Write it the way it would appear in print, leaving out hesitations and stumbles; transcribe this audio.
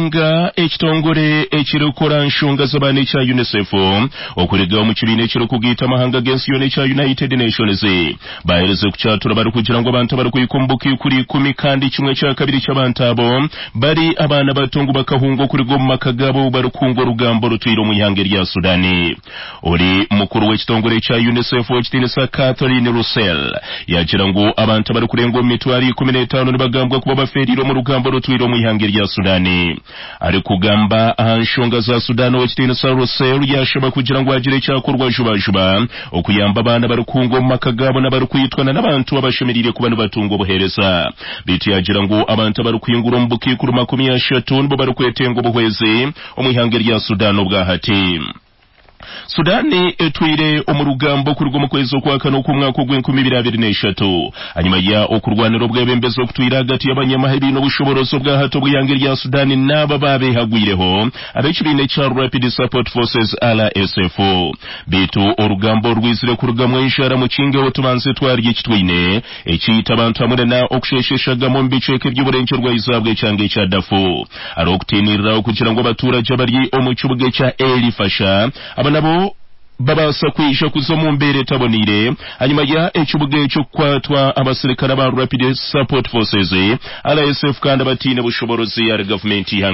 Nga ekitongore ekirikukora aha nshonga z'abaana ekya UNICEF okuruga omu kibiina ekirikugaita amahanga g'ensi yoona ekya United Nations baaherize kukyatura barikugira ngu abantu abarikuhika omu bukaikuru ikumi kandi kimwe kya kabiri ky'abantu abo bari abaana bato ngu bakahunga okuruga omu maka gaabo obu barikuhunga orugamba orutwire omu ihanga erya Sudan. Ori mukuru w'ekitongore ekya UNICEF ow'ekitiinisa Catherine Russell yaagira ngu abantu abarikurenga omu mitwaro 15 nibagambwa kuba bafeereire omu rugamba orutwire omu ihanga erya Sudan. Arikugamba aha nshonga za Sudan, ow'ekitiinisa Russell yaashaba kugira ngu hagire ekyakorwa jubajuba okuyamba abaana abarikuhunga omu maka gaabo n'abarikwitwa na n'abantu abashemereire kuba nibatunga obuheereza. Beitu yaagira ngu abantu abarikuhingura omu bukaikuru 30 nibo barikwetenga obuhwezi omu ihanga erya Sudan obwahati. Sudan etwire omu rugamba okuruga omu kwezi okwakana okw'omwaka ogw'enkumi ibiri abiri n'eshatu ahanyima ya okurwanira obwebembezi okutwire ahagati y'abanyamahe baine obushoborozi obwahati obw'eihanga erya Sudan n'abo abaabehagwireho ab'ekibiina ekya Rapid Support Forces, RSF. Beitu orugamba oru rwizire kurugamu enjara mukingeho tubanze twarya eki twine ekiita abantu hamwe na okusheesha eshagama omu bicweka eby'oburengyerwa izooba bw'ekyanga ekya Darfur. Hariho okutiinirira okugira ngu abatuuragye abari omu kibuga ekya El Fasher aba nabo babaasa kwija kuza omu mbeera etaboneire ahanyima ya ekibuga ekyo kukwatwa abasirikare aba Rapid Support Forces, RSF, kandi abataine bushoboorozi ahari gavumenti y'eihanga.